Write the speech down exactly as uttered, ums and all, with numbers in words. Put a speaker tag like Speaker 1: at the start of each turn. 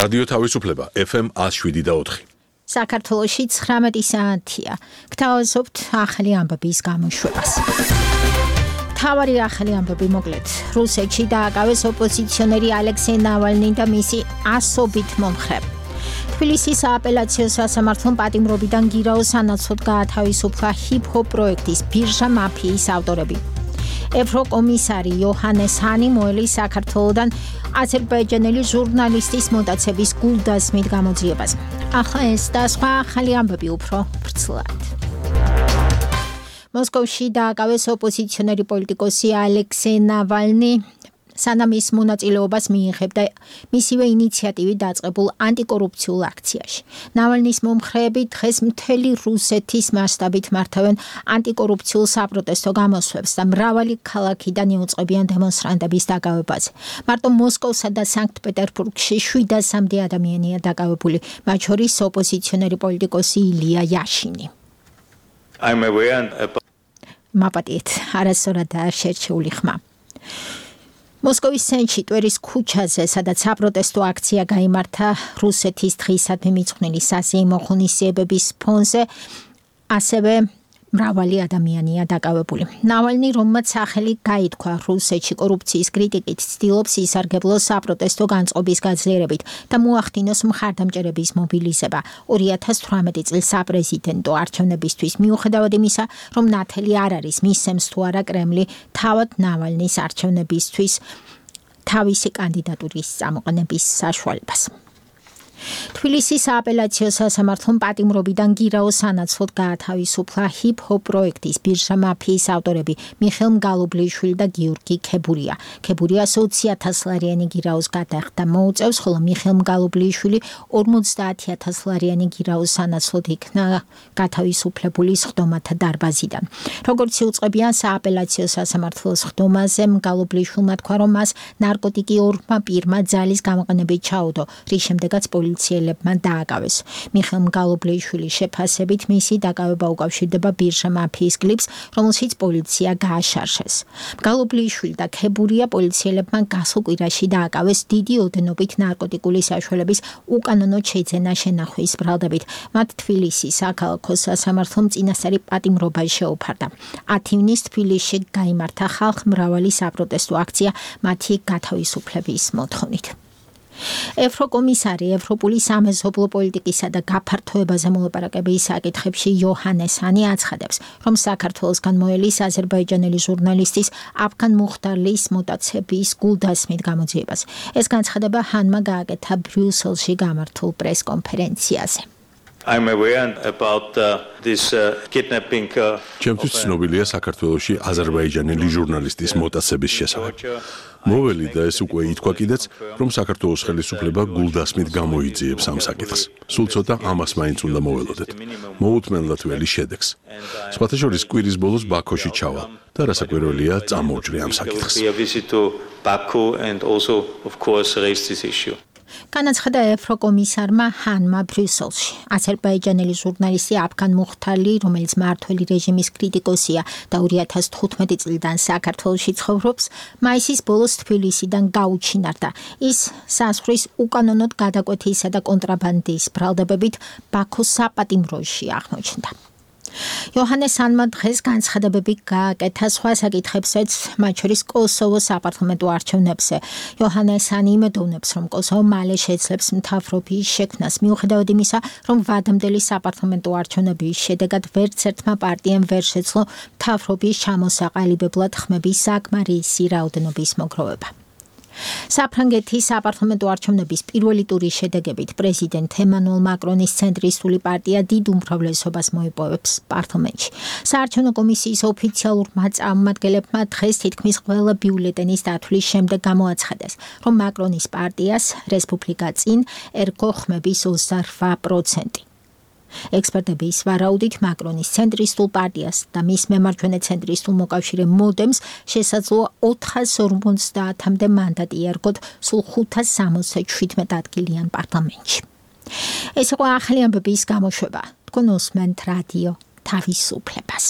Speaker 1: რადიო თავისუფლება ეფ ემ one oh seven და four.
Speaker 2: საქართველოში ცხრამეტი საათია. გთავაზობთ ახალი ამბების გამოშვებას. თავარი ახალი ამბები მოკლედ. რუსეთში დააკავეს ოპოზიციონერი ალექსეი ნავალნი და მისი ასობით მომხრე. თბილისის სააპელაციო სასამართლომ პატიმრობიდან გირაოს სანაცვლოდ გაათავისუფლა ჰიპ-ჰოპ პროექტის ბირჟა მაფიის ავტორები. ევროკომისარი იოჰანეს ჰანი მოელის საქართველოდან აზერბაიჯანელი ჟურნალისტის მოტაცების გულდასმით გამოძიებას. ახლა ეს და სხვა ახალი ამბები უფრო ვრცლად. მოსკოვში დააკავეს ოპოზიციონერი პოლიტიკოსი ალექსეი ნავალნი, სანამ ის მონაწილეობას მიიღებდა მისივე ინიციატივით დაწყებულ ანტიკორუფციულ აქციაში. ნავალნის მომხრეები დღეს მთელი რუსეთის მასშტაბით მართავენ ანტიკორუფციულ საპროტესტო გამოსვლებს და მრავალი ქალაქიდან იუწყებიან დემონსტრანტების დაკავებაზე. მარტო მოსკოვსა და სანქტ-პეტერბურგში შვიდასამდე ადამიანია დაკავებული, მათ შორის ოპოზიციონერი პოლიტიკოსი ილია იაშინი.
Speaker 3: I'm aware about
Speaker 2: მაპატიეთ, არასწორადაა შერჩეული ხმა. მოსკოვის ცენტრში ტვერის ქუჩაზე, სადაც საპროტესტო აქცია გაიმართა რუსეთის დღისადმი მიძღვნილი საზეიმო ღონისძიებების ფონზე, ასევე მრავალი ადამიანია დაკავებული. ნავალნი, რომელმაც სახელი გაითქვა რუსეთში კორუფციის კრიტიკით, ცდილობს ისარგებლოს საპროტესტო განწყობის გაძლიერებით და მოახდინოს მხარდამჭერების მობილიზება. ორი ათას თვრამეტი წლის საპრეზიდენტო არჩევნებისთვის, მიუხედავად იმისა, რომ ნათელი არ არის მისცემს თუ არა კრემლი თავად ნავალნის არჩევნებისთვის თავისი კანდიდატურის წამოყენების საშუალებას. თბილისის სააპელაციო სასამართლომ პატიმრობიდან გირაოს სანაცვლოდ გაათავისუფლა ჰიპ-ჰოპ პროექტის ბირჟა მაფიის ავტორები მიხეილ მგალობლიშვილი და გიორგი ქებურია. ქებურია ოცი ათას ლარიანი გირაოს გადახდა მოუწევს, ხოლო მიხეილ მგალობლიშვილი ორმოცდაათი ათას ლარიანი გირაოს სანაცვლოდ იქნა გათავისუფლებული სხდომათა დარბაზიდან. როგორც იუწყებიან სააპელაციო სასამართლოს სხდომაზე, მგალობლიშვილმა თქვა, რომ მას ნარკოტიკი ორმა პირმა ძალის გამოყენებით ჩაუდო, რის შემდეგაც პოლიციელებმა დააკავეს. მიხეილ მგალობლიშვილის შეფასებით მისი დაკავება უკავშირდება ბირჟა მაფიის კლიპს, რომელშიც პოლიცია გააშარშეს. მგალობლიშვილი და ქებურია პოლიციელებმა გასულ კვირაში დააკავეს დიდი ოდენობით ნარკოტიკული საშუალების უკანონოდ შეძენა შენახვის ბრალდებით. მათ თბილისის საქალაქო სასამართლომ წინასწარი პატიმრობა შეუფარდა. ათი ივნის თბილისში გაიმართა ხალხმრავალი საპროტესტო აქცია მათი გათავისუფლების მოთხოვნით. ევროკომისარი ევროპული სამეზობლო პოლიტიკისა და გაფართოებაზე მოლაპარაკების საკითხებში იოჰანეს ჰანი აცხადებს, რომ საქართველოსგან მოელის აზერბაიჯანელი ჟურნალისტის აფგან მუხტარლის მოტაცების გულდასმით გამოძიებას. ეს განცხადება ჰანმა გააკეთა ბრიუსელში გამართულ პრესკონფერენციაზე.
Speaker 3: I'm aware about uh, this uh, kidnapping uh,
Speaker 1: ჩემთვის ცნობილია საქართველოში აზერბაიჯანელი ჟურნალისტის მოტაცების შესახებ. მოველი და ეს უკვე ითქვა კიდეც, რომ საქართველოს ხელისუფლება გულდასმით გამოიძიებს ამ საკითხს. სულ ცოტა ამას მაინც უნდა მოველოდეთ. მოუთმენლად ველი შედეგს. სხვათა შორის კვირის ბოლოს ბაქოში ჩავალ და რასაკვირველია წამოვჭრე ამ საკითხს.
Speaker 3: Baku and also of course raise this issue.
Speaker 2: განაცხადა ევროკომისარმა ჰანმა ბრიუსელში. აზერბაიჯანელი ჟურნალისტი აფგან მუხტარლი, რომელიც მმართველი რეჟიმის კრიტიკოსია და ორი ათას თხუთმეტი წლიდან საქართველოში ცხოვრობს, მაისის ბოლოს თბილისიდან გაუჩინარდა. ის საზღვრის უკანონოდ გადაკვეთისა და კონტრაბანდის ბრალდებებით ბაქოს საპატიმროში აღმოჩნდა. იოჰანეს ჰანმა დღეს განცხადებები გააკეთა სხვა საკითხებსაც, მათ შორის კოსოვოს საპარლამენტო არჩევნებზე. იოჰანეს ჰანი იმედოვნებს, რომ კოსოვო მალე შეძლებს მთავრობის შექმნას, მიუხედავად იმისა, რომ ვადამდელი საპარლამენტო არჩევნების შედეგად ვერც ერთმა პარტიამ ვერ შეძლო მთავრობის ჩამოსაყალიბებლად ხმების საკმარისი რაოდენობის მოგროვება. საფრანგეთის საპარლამენტო არჩევნების პირველი ტურის შედეგებით პრეზიდენტ ემანუელ მაკრონის ცენტრისტული პარტია დიდ უმრავლესობას მოიპოვებს პარლამენტში. საარჩევნო კომისიის ოფიციალურმა წარმომადგენლებმა დღეს თითქმის ყველა ბიულეტენის დათვლის შემდეგ გამოაცხადეს, რომ მაკრონის პარტიას რესპუბლიკა წინ ერგო ხმების ოცდაოთხ პროცენტი. ექსპერტების ვარაუდით მაკრონის ცენტრისტულ პარტიას და მის მემარჯვენე ცენტრისტულ მოკავშირე მოდემს შესაძლოა ოთხას ორმოცდაათამდე მანდატი ერგოთ სულ ხუთას სამოცდაშვიდმეტ ადგილიან პარლამენტში. ეს იყო ახალი ამბების გამოშვება. თქვენ უსმენთ რადიო თავისუფლებას.